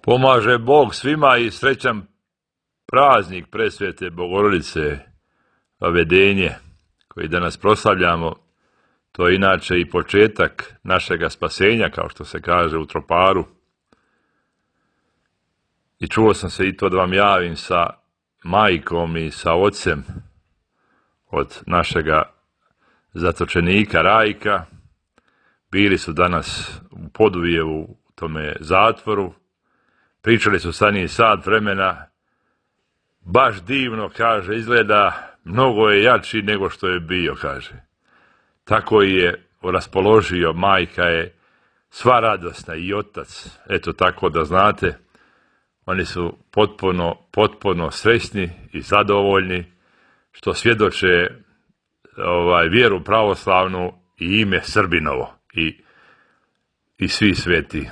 Pomaže Bog svima i srećan praznik Presvete Bogorodice, Vavedenje, koji danas proslavljamo. To je inače i početak našega spasenja, kao što se kaže u Troparu. I čuo sam se i to da vam javim sa majkom i sa ocem od našega zatočenika Rajka. Bili su danas u Podujevu, u tome zatvoru. Pričali su sa njim sat vremena. Baš divno, kaže, izgleda, mnogo je jači nego što je bio, kaže. Tako je raspoložio, majka je sva radosna i otac. Eto tako da znate, oni su potpuno srećni i zadovoljni što svjedoče vjeru pravoslavnu i ime Srbinovo i svi sveti.